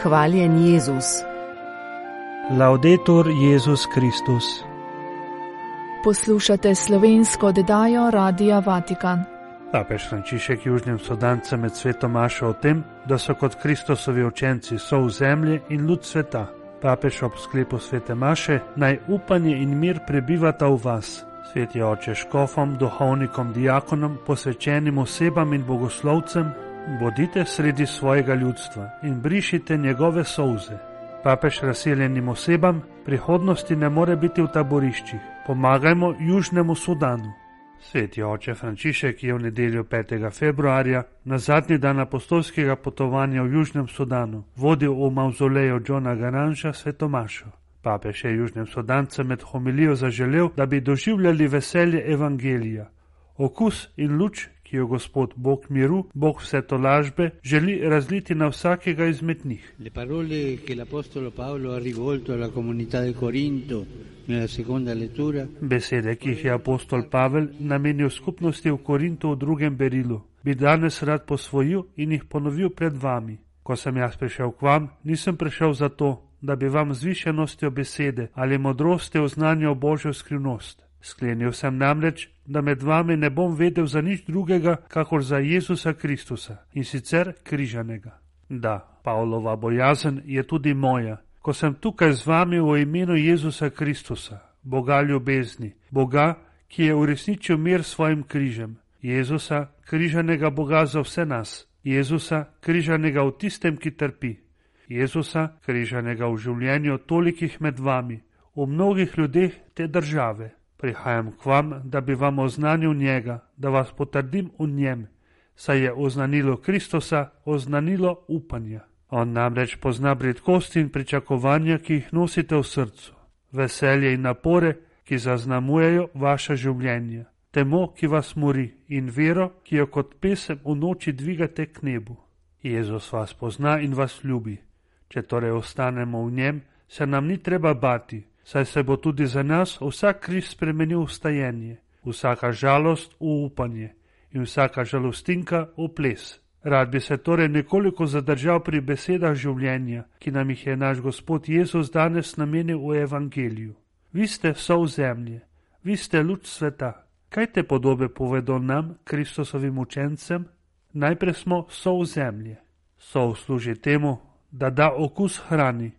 Hvaljen Jezus. Laudetur Jezus Kristus. Poslušate slovensko oddajo Radia Vatikan. Papež Frančišek južnim Sudancem med sveto mašo o tem, da so kot Kristusovi učenci sol zemlje in luč sveta. Papež ob sklepu svete maše: naj upanje in mir prebivata v vas. Sveti oče škofom, duhovnikom, diakonom, posvečenim osebam in bogoslovcem, bodite sredi svojega ljudstva in brišite njegove solze. Papež razseljenim osebam: prihodnosti ne more biti v taboriščih. Pomagajmo Južnemu Sudanu. Sveti oče Frančišek je v nedeljo 5. februarja, na zadnji dan apostolskega potovanja v Južnem Sudanu, vodil v mavzoleju Johna Garanža svetomašo. Papež je Južnim Sudancem med homilijo zaželel, da bi doživljali veselje evangelija, okus in luč, ki jo Gospod Bog miru, Bog vse tolažbe, želi razliti na vsakega izmed njih. Le parole che l'apostolo Paolo ha rivolto alla comunità di Corinto nella seconda lettura. Besede, ki jih je apostol Pavel namenil skupnosti v Korintu v drugem berilu, bi danes rad posvojil in jih ponovil pred vami. Ko sem jaz prišel k vam, nisem prišel zato, da bi vam z višenostjo besede ali modrosti oznanjal Božjo skrivnost. Sklenil sem namreč, da med vami ne bom vedel za nič drugega, kakor za Jezusa Kristusa, in sicer križanega. Da, Pavlova bojazen je tudi moja, ko sem tukaj z vami v imenu Jezusa Kristusa, Boga ljubezni, Boga, ki je uresničil mir s svojim križem, Jezusa, križanega Boga za vse nas, Jezusa, križanega v tistem, ki trpi, Jezusa, križanega v življenju tolikih med vami, v mnogih ljudeh te države. Prihajam k vam, da bi vam oznanil njega, da vas potrdim v njem, saj je oznanilo Kristusa oznanilo upanja. On namreč pozna bridkosti in pričakovanja, ki jih nosite v srcu, veselje in napore, ki zaznamujejo vaše življenje, temo, ki vas mori, in vero, ki jo kot pesem v noči dvigate k nebu. Jezus vas pozna in vas ljubi. Če torej ostanemo v njem, se nam ni treba bati, saj se bo tudi za nas vsak križ spremenil v stajenje, vsaka žalost v upanje in vsaka žalostinka v ples. Rad bi se torej nekoliko zadržal pri besedah življenja, ki nam jih je naš Gospod Jezus danes namenil v evangeliju. Vi ste sol zemlje, vi ste luč sveta. Kaj te podobe povedo nam, Kristusovim učencem? Najprej smo sol zemlje. Sol služi temu, da da okus hrani.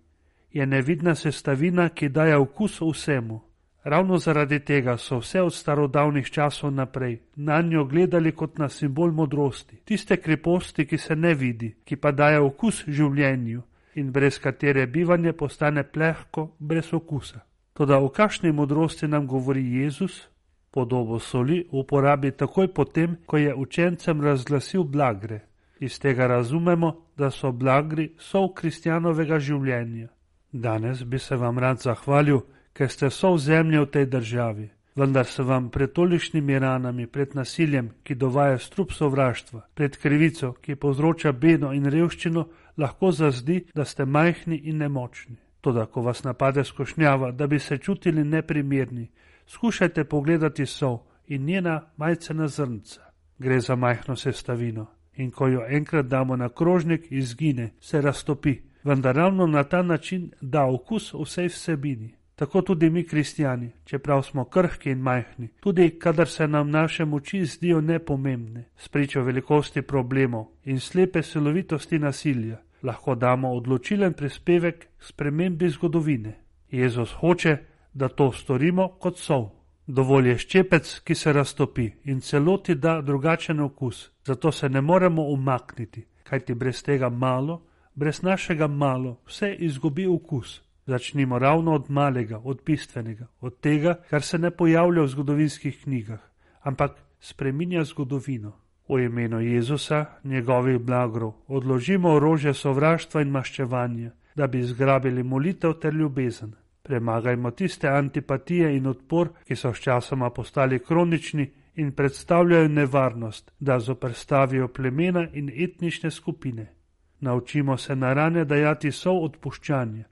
Je nevidna sestavina, ki daje okus vsemu. Ravno zaradi tega so vse od starodavnih časov naprej na njo gledali kot na simbol modrosti, tiste kreposti, ki se ne vidi, ki pa daje okus življenju in brez katere bivanje postane plehko, brez okusa. Toda o kakšni modrosti nam govori Jezus? Podobo soli uporabi takoj potem, ko je učencem razglasil blagre. Iz tega razumemo, da so blagri sol kristjanovega življenja. Danes bi se vam rad zahvalil, ker ste sol zemlje v tej državi, vendar se vam pred tolikšnimi ranami, pred nasiljem, ki dovaja strup sovraštva, pred krivico, ki povzroča bedo in revščino, lahko zazdi, da ste majhni in nemočni. Toda, ko vas napade skušnjava, da bi se čutili neprimerni, skušajte pogledati sol in njena majcena zrnca. Gre za majhno sestavino in ko jo enkrat damo na krožnik, izgine, se raztopi. Vendar ravno na ta način da okus vsej vsebini. Tako tudi mi kristjani, čeprav smo krhki in majhni, tudi kadar se nam naše moči zdijo nepomembne, spričo velikosti problemov in slepe silovitosti nasilja, lahko damo odločilen prispevek k spremembi zgodovine. Jezus hoče, da to storimo kot sol. Dovolj je ščepec, ki se raztopi in celoti da drugačen okus, zato se ne moremo umakniti, kajti brez tega malo, brez našega malo, vse izgubi okus. Začnimo ravno od malega, od bistvenega, od tega, kar se ne pojavlja v zgodovinskih knjigah, ampak spreminja zgodovino. V imenu Jezusa, njegovih blagrov, odložimo orožje sovraštva in maščevanja, da bi zgrabili molitev ter ljubezen. Premagajmo tiste antipatije in odpor, ki so sčasoma postali kronični in predstavljajo nevarnost, da zoperstavijo plemena in etnične skupine. Naučimo se na rane dajati sol odpuščanja,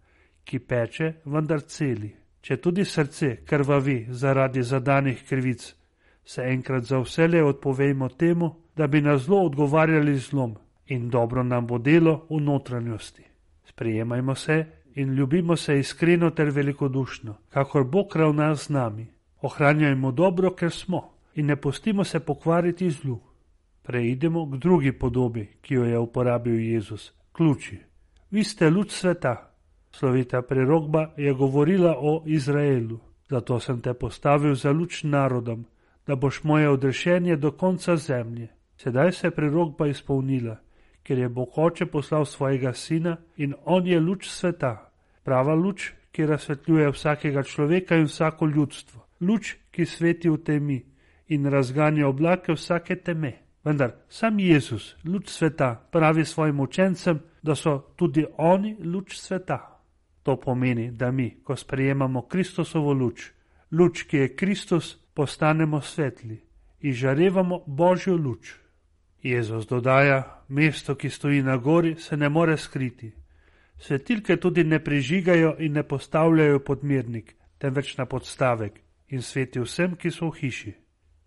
ki peče, vendar celi. Če tudi srce krvavi zaradi zadanih krivic, se enkrat za vselej odpovejmo temu, da bi na zlo odgovarjali zlom in dobro nam bo delo v notranjosti. Sprejemajmo se in ljubimo se iskreno ter velikodušno, kakor Bog ravna z nami. Ohranjajmo dobro, ker smo, in ne pustimo se pokvariti zlu. Preidemo k drugi podobi, ki jo je uporabil Jezus, ključi. Vi ste luč sveta. Slovita prerokba je govorila o Izraelu. Zato sem te postavil za luč narodom, da boš moje odrešenje do konca zemlje. Sedaj se je prerokba izpolnila, ker je Bog Oče poslal svojega sina in on je luč sveta. Prava luč, ki razsvetljuje vsakega človeka in vsako ljudstvo. Luč, ki sveti v temi in razganja oblake vsake teme. Vendar sam Jezus, luč sveta, pravi svojim učencem, da so tudi oni luč sveta. To pomeni, da mi, ko sprejemamo Kristusovo luč, luč, ki je Kristus, postanemo svetli in žarevamo Božjo luč. Jezus dodaja, mesto, ki stoji na gori, se ne more skriti. Svetilke tudi ne prižigajo in ne postavljajo pod mirnik, temveč na podstavek in sveti vsem, ki so v hiši.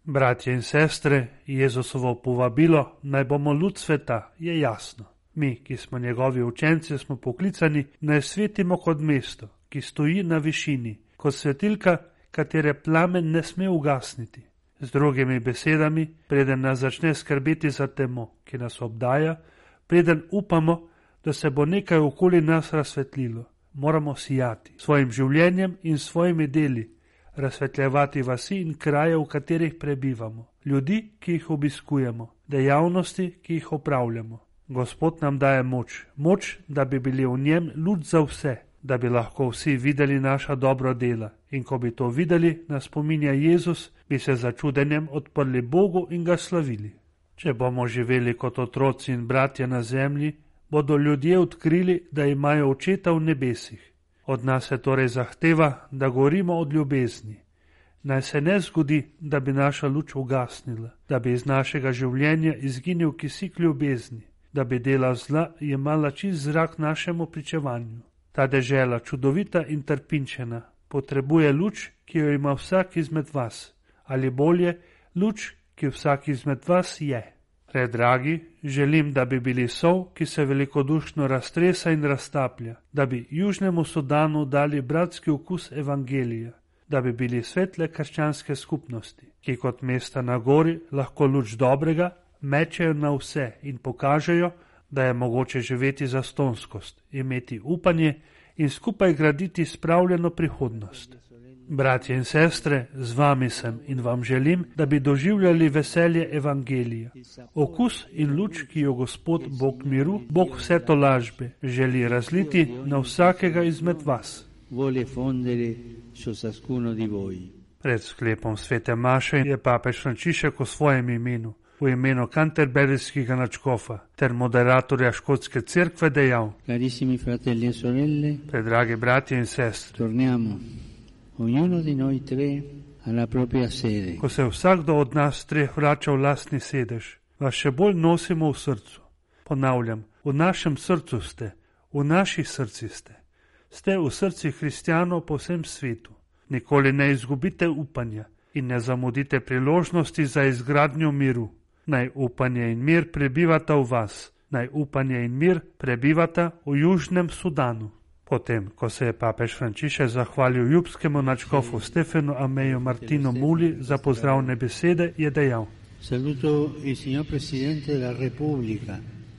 Bratje in sestre, Jezusovo povabilo, naj bomo luč sveta, je jasno. Mi, ki smo njegovi učenci, smo poklicani, naj svetimo kot mesto, ki stoji na višini, kot svetilka, katere plamen ne sme ugasniti. Z drugimi besedami, preden nas začne skrbeti za temo, ki nas obdaja, preden upamo, da se bo nekaj okoli nas razsvetlilo, moramo sijati svojim življenjem in svojimi deli, razsvetljevati vasi in kraje, v katerih prebivamo, ljudi, ki jih obiskujemo, dejavnosti, ki jih opravljamo. Gospod nam daje moč, da bi bili v njem luč za vse, da bi lahko vsi videli naša dobra dela. In ko bi to videli, nas spominja Jezus, bi se začudenjem odprli Bogu in ga slavili. Če bomo živeli kot otroci in bratje na zemlji, bodo ljudje odkrili, da imajo očeta v nebesih. Od nas se torej zahteva, da gorimo od ljubezni. Naj se ne zgodi, da bi naša luč ugasnila, da bi iz našega življenja izginil kisik ljubezni, da bi dela zla jemala čist zrak našemu pričevanju. Ta dežela, čudovita in trpinčena, potrebuje luč, ki jo ima vsak izmed vas, ali bolje, luč, ki vsak izmed vas je. Predragi, želim, da bi bili sol, ki se velikodušno raztresa in raztaplja, da bi Južnemu Sudanu dali bratski okus evangelija, da bi bili svetle krščanske skupnosti, ki kot mesta na gori lahko luč dobrega mečejo na vse in pokažejo, da je mogoče živeti zastonskost, imeti upanje in skupaj graditi spravljeno prihodnost. Bratje in sestre, z vami sem in vam želim, da bi doživljali veselje evangelija, okus in luč, ki jo Gospod Bog miru, Bog vse tolažbe, želi razliti na vsakega izmed vas. Pred sklepom svete maše je papež Frančišek v svojem imenu, v imenu kanterberijskega nadškofa ter moderatorja škotske cerkve dejal: Carissimi fratelli e sorelle, predragi bratje in sestre, torniamo, ognuno di noi tre, alla propria sede. Ko se vsakdo od nas treh vrača v lastni sedež, vas še bolj nosimo v srcu. Ponavljam, v našem srcu ste, v naših srcih ste. Ste v srcih hristijanov po vsem svetu. Nikoli ne izgubite upanja in ne zamudite priložnosti za izgradnjo miru. Naj upanje in mir prebivata v vas, naj upanje in mir prebivata v Južnem Sudanu. Potem, ko se je papež Frančišek zahvalil ljubskemu nadškofu Stefanu Ameju Martinu Muli za pozdravne besede, je dejal: Saluto il signor Presidente della Repubblica.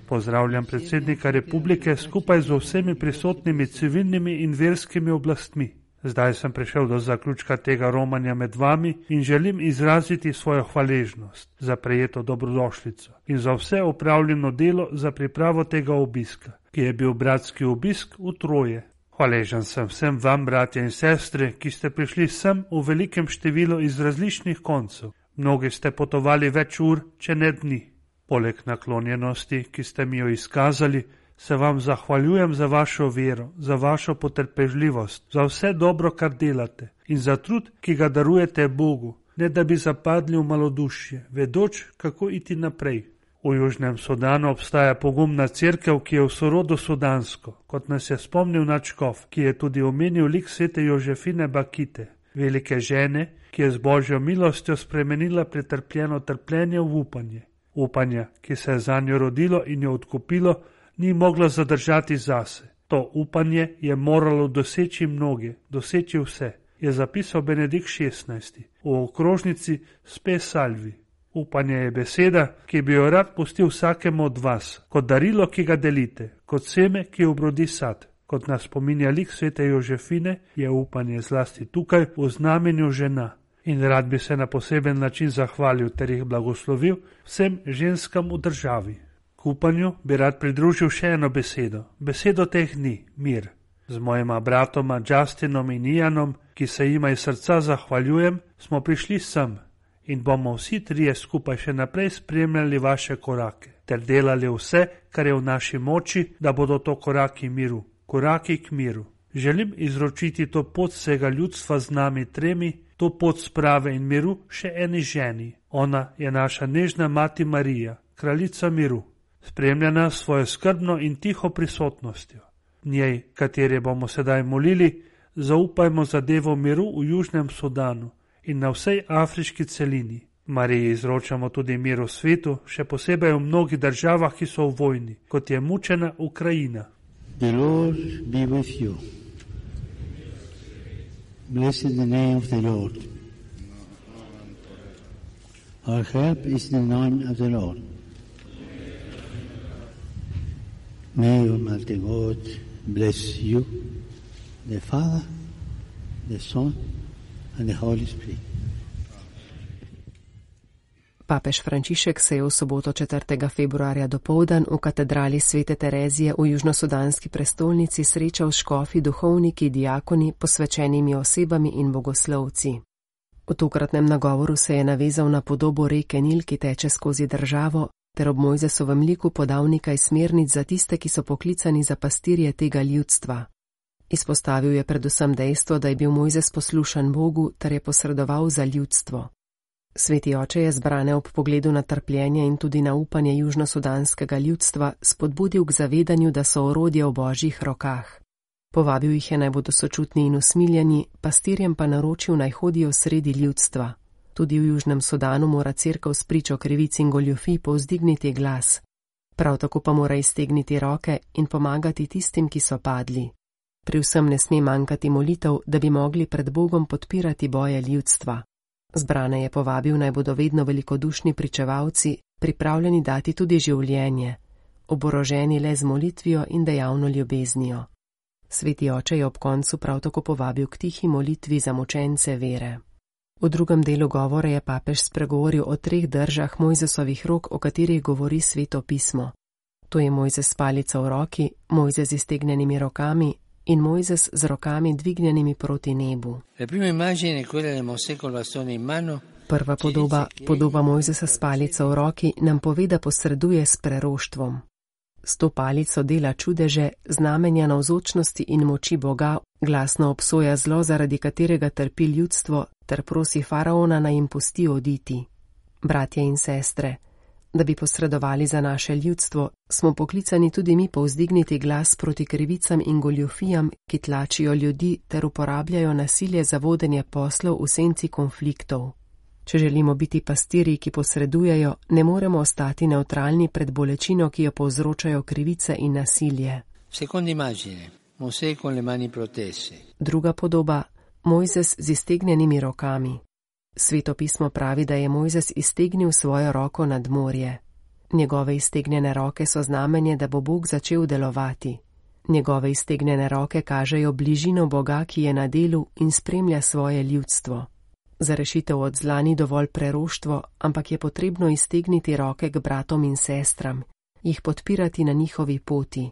Pozdravljam predsednika republike skupaj z vsemi prisotnimi civilnimi in verskimi oblastmi. Zdaj sem prišel do zaključka tega romanja med vami in želim izraziti svojo hvaležnost za prejeto dobrodošlico in za vse opravljeno delo za pripravo tega obiska, ki je bil bratski obisk v Troje. Hvaležen sem vsem vam, bratje in sestre, ki ste prišli sem v velikem številu iz različnih koncev. Mnogi ste potovali več ur, če ne dni. Poleg naklonjenosti, ki ste mi jo izkazali, se vam zahvaljujem za vašo vero, za vašo potrpežljivost, za vse dobro, kar delate in za trud, ki ga darujete Bogu, ne da bi zapadli v malodušje, vedoč, kako iti naprej. V Južnem Sudanu obstaja pogumna cerkev, ki je v sorodu sudansko, kot nas je spomnil nadškof, ki je tudi omenil lik svete Jožefine Bakite, velike žene, ki je z Božjo milostjo spremenila pretrpljeno trpljenje v upanje. Upanja, ki se je zanjo rodilo in jo odkupilo, ni moglo zadržati zase. To upanje je moralo doseči mnoge, doseči vse, je zapisal Benedikt XVI v okrožnici Spe Salvi. Upanje je beseda, ki bi jo rad pustil vsakemu od vas, kot darilo, ki ga delite, kot seme, ki obrodi sad. Kot nas spominja lik svete Jožefine, je upanje zlasti tukaj v znamenju žena. In rad bi se na poseben način zahvalil ter jih blagoslovil vsem ženskam v državi. K upanju bi rad pridružil še eno besedo, besedo teh dni, mir. Z mojima bratoma Justinom in Ianom, ki se jima iz srca zahvaljujem, smo prišli sem in bomo vsi trije skupaj še naprej spremljali vaše korake ter delali vse, kar je v naši moči, da bodo to koraki miru, koraki k miru. Želim izročiti to pot vsega ljudstva z nami tremi, to pot sprave in miru še eni ženi. Ona je naša nežna mati Marija, kraljica miru, spremljena s svojo skrbno in tiho prisotnostjo. Njej, katere bomo sedaj molili, zaupajmo zadevo miru v Južnem Sudanu in na vsej afriški celini. Mariji izročamo tudi mir v svetu, še posebej v mnogih državah, ki so v vojni, kot je mučena Ukrajina. The Lord be with you. Blessed the name of the Lord. Our help is in the name of the Lord. May Almighty God bless you, the Father, the Son, and the Holy Spirit. Papež Frančišek se je v soboto 4. februarja dopoldan v katedrali Svete Terezije v južnosudanski prestolnici srečal s škofi, duhovniki, diakoni, posvečenimi osebami in bogoslovci. V tokratnem nagovoru se je navezal na podobo reke Nil, ki teče skozi državo, ter ob Mojzesovem liku podal nekaj smernic za tiste, ki so poklicani za pastirje tega ljudstva. Izpostavil je predvsem dejstvo, da je bil Mojzes poslušan Bogu ter je posredoval za ljudstvo. Sveti oče je zbrane ob pogledu na trpljenje in tudi na upanje južnosudanskega ljudstva spodbudil k zavedanju, da so orodje v Božjih rokah. Povabil jih je, naj bodo sočutni in usmiljeni, pastirjem pa naročil, naj hodijo sredi ljudstva. Tudi v Južnem Sudanu mora cerkev s pričo krivic in goljufij povzdigniti glas. Prav tako pa mora iztegniti roke in pomagati tistim, ki so padli. Pri vsem ne sme manjkati molitev, da bi mogli pred Bogom podpirati boje ljudstva. Zbrane je povabil, naj bodo vedno velikodušni pričevalci, pripravljeni dati tudi življenje, oboroženi le z molitvijo in dejavno ljubeznijo. Sveti oče je ob koncu prav tako povabil k tihi molitvi za mučence vere. V drugem delu govora je papež spregovoril o 3 držah Mojzesovih rok, o katerih govori Sveto pismo. To je Mojzes s palico v roki, Mojzes z iztegnjenimi rokami in Mojzes z rokami dvignjenimi proti nebu. Prva podoba Mojzesa s palico v roki, nam pove, da posreduje s preroštvom. S to palico dela čudeže, znamenja navzočnosti in moči Boga, glasno obsoja zlo, zaradi katerega trpi ljudstvo, ter prosi faraona, naj jim pusti oditi. Bratje in sestre, da bi posredovali za naše ljudstvo, smo poklicani tudi mi povzdigniti glas proti krivicam in goljufijam, ki tlačijo ljudi ter uporabljajo nasilje za vodenje poslov v senci konfliktov. Če želimo biti pastirji, ki posredujejo, ne moremo ostati nevtralni pred bolečino, ki jo povzročajo krivice in nasilje. Druga podoba, Mojzes z iztegnjenimi rokami. Sveto pismo pravi, da je Mojzes iztegnil svojo roko nad morje. Njegove iztegnjene roke so znamenje, da bo Bog začel delovati. Njegove iztegnjene roke kažejo bližino Boga, ki je na delu in spremlja svoje ljudstvo. Za rešitev od zla ni dovolj preroštvo, ampak je potrebno iztegniti roke k bratom in sestram, jih podpirati na njihovi poti.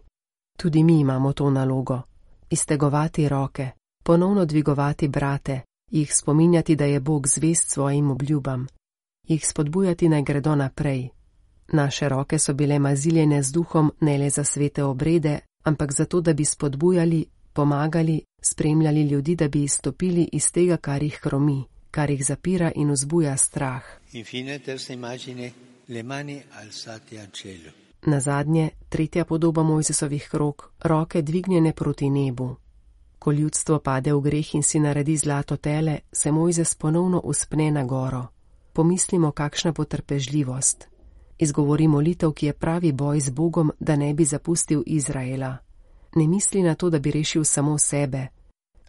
Tudi mi imamo to nalogo. Iztegovati roke, ponovno dvigovati brate, jih spominjati, da je Bog zvest svojim obljubam, jih spodbujati, naj gredo naprej. Naše roke so bile maziljene z duhom ne le za svete obrede, ampak zato, da bi spodbujali, pomagali, spremljali ljudi, da bi izstopili iz tega, kar jih hromi, kar jih zapira in vzbuja strah. Nazadnje, 3. podoba Mojzesovih rok, roke dvignjene proti nebu. Ko ljudstvo pade v greh in si naredi zlato tele, se Mojzes ponovno uspne na goro. Pomislimo, kakšna potrpežljivost. Izgovori molitev, ki je pravi boj z Bogom, da ne bi zapustil Izraela. ne misli na to, da bi rešil samo sebe.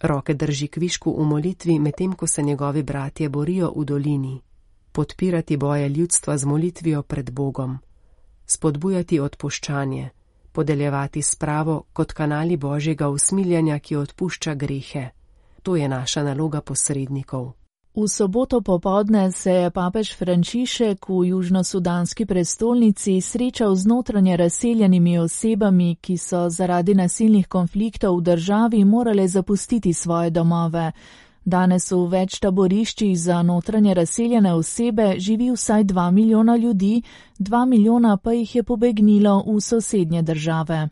Roke drži kvišku v molitvi, medtem ko se njegovi bratje borijo v dolini. Podpirati boje ljudstva z molitvijo pred Bogom. Spodbujati odpuščanje. Podeljevati spravo kot kanali Božjega usmiljanja, ki odpušča grehe. To je naša naloga posrednikov. V soboto popoldne se je papež Frančišek v južnosudanski prestolnici srečal z notranje razseljenimi osebami, ki so zaradi nasilnih konfliktov v državi morale zapustiti svoje domove. Danes v več taboriščih za notranje razseljene osebe živi vsaj 2 milijona ljudi, 2 milijona pa jih je pobegnilo v sosednje države.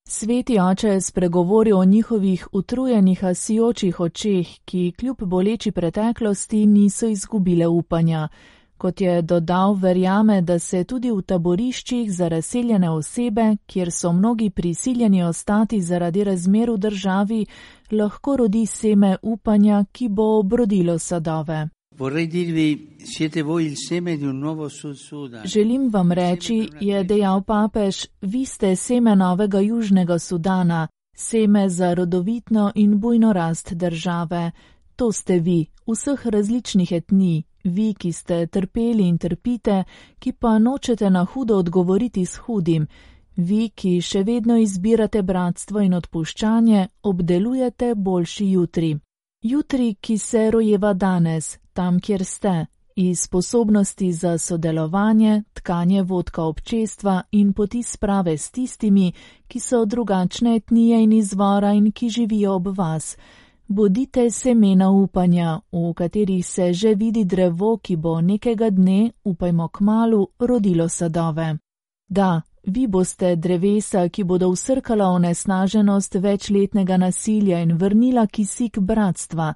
Sveti oče je spregovoril o njihovih utrujenih, sijočih očeh, ki kljub boleči preteklosti niso izgubile upanja. Kot je dodal, verjame, da se tudi v taboriščih za razseljene osebe, kjer so mnogi prisiljeni ostati zaradi razmer v državi, lahko rodi seme upanja, ki bo obrodilo sadove. Želim vam reči, je dejal papež, vi ste seme novega Južnega Sudana, seme za rodovitno in bujno rast države. To ste vi, vseh različnih etnij, vi, ki ste trpeli in trpite, ki pa nočete na hudo odgovoriti s hudim, vi, ki še vedno izbirate bratstvo in odpuščanje, obdelujete boljši jutri. Jutri, ki se rojeva danes, tam, kjer ste, iz sposobnosti za sodelovanje, tkanje vodka občestva in poti sprave s tistimi, ki so drugačne etnije in izvora in ki živijo ob vas. Bodite semena upanja, v katerih se že vidi drevo, ki bo nekega dne, upajmo kmalu, rodilo sadove. Da, vi boste drevesa, ki bodo vsrkala onesnaženost večletnega nasilja in vrnila kisik bratstva.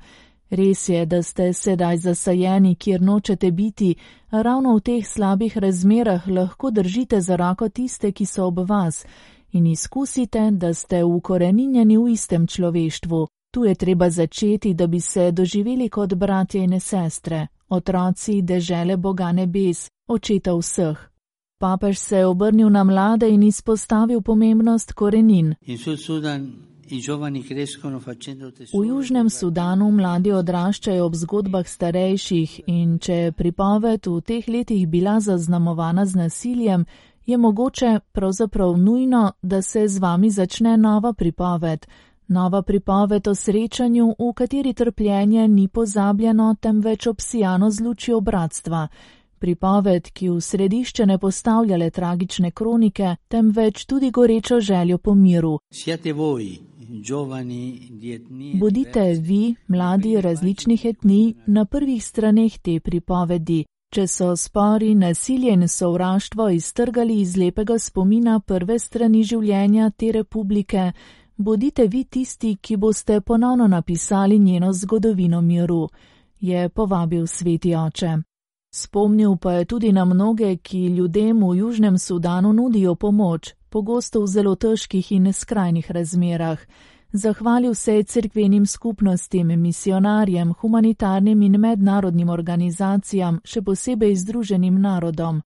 Res je, da ste sedaj zasajeni, kjer nočete biti, a ravno v teh slabih razmerah lahko držite za roko tiste, ki so ob vas, in izkusite, da ste ukoreninjeni v istem človeštvu. Tu je treba začeti, da bi se doživeli kot bratje in sestre, otroci dežele Boga nebes, očeta vseh. Papež se je obrnil na mlade in izpostavil pomembnost korenin. V Južnem Sudanu mladi odraščajo ob zgodbah starejših in če je pripoved v teh letih bila zaznamovana z nasiljem, je mogoče, pravzaprav nujno, da se z vami začne nova pripoved. Nova pripoved o srečanju, v kateri trpljenje ni pozabljeno, temveč obsijano z lučjo bratstva. Pripoved, ki v središče ne postavlja le tragične kronike, temveč tudi gorečo željo po miru. Bodite vi, mladi različnih etnij, na prvih straneh te pripovedi. Če so spori, nasilje in sovraštvo iztrgali iz lepega spomina prve strani življenja te republike, bodite vi tisti, ki boste ponovno napisali njeno zgodovino miru, je povabil sveti oče. Spomnil pa je tudi na mnoge, ki ljudem v Južnem Sudanu nudijo pomoč, pogosto v zelo težkih in skrajnih razmerah. Zahvalil se je cerkvenim skupnostim, misionarjem, humanitarnim in mednarodnim organizacijam, še posebej Združenim narodom.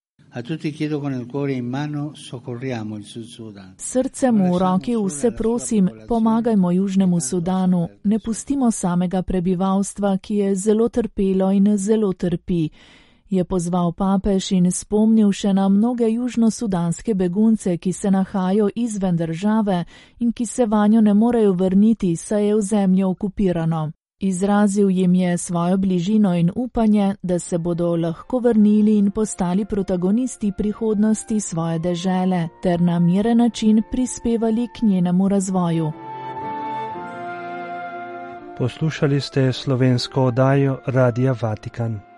Srcem v roki vse prosim, pomagajmo Južnemu Sudanu, ne pustimo samega prebivalstva, ki je zelo trpelo in zelo trpi. Je pozval papež in spomnil še na mnoge južnosudanske begunce, ki se nahajajo izven države in ki se vanjo ne morejo vrniti, saj je ozemlje okupirano. Izrazil jim je svojo bližino in upanje, da se bodo lahko vrnili in postali protagonisti prihodnosti svoje dežele, ter na miren način prispevali k njenemu razvoju. Poslušali ste slovensko oddajo Radia Vatikan.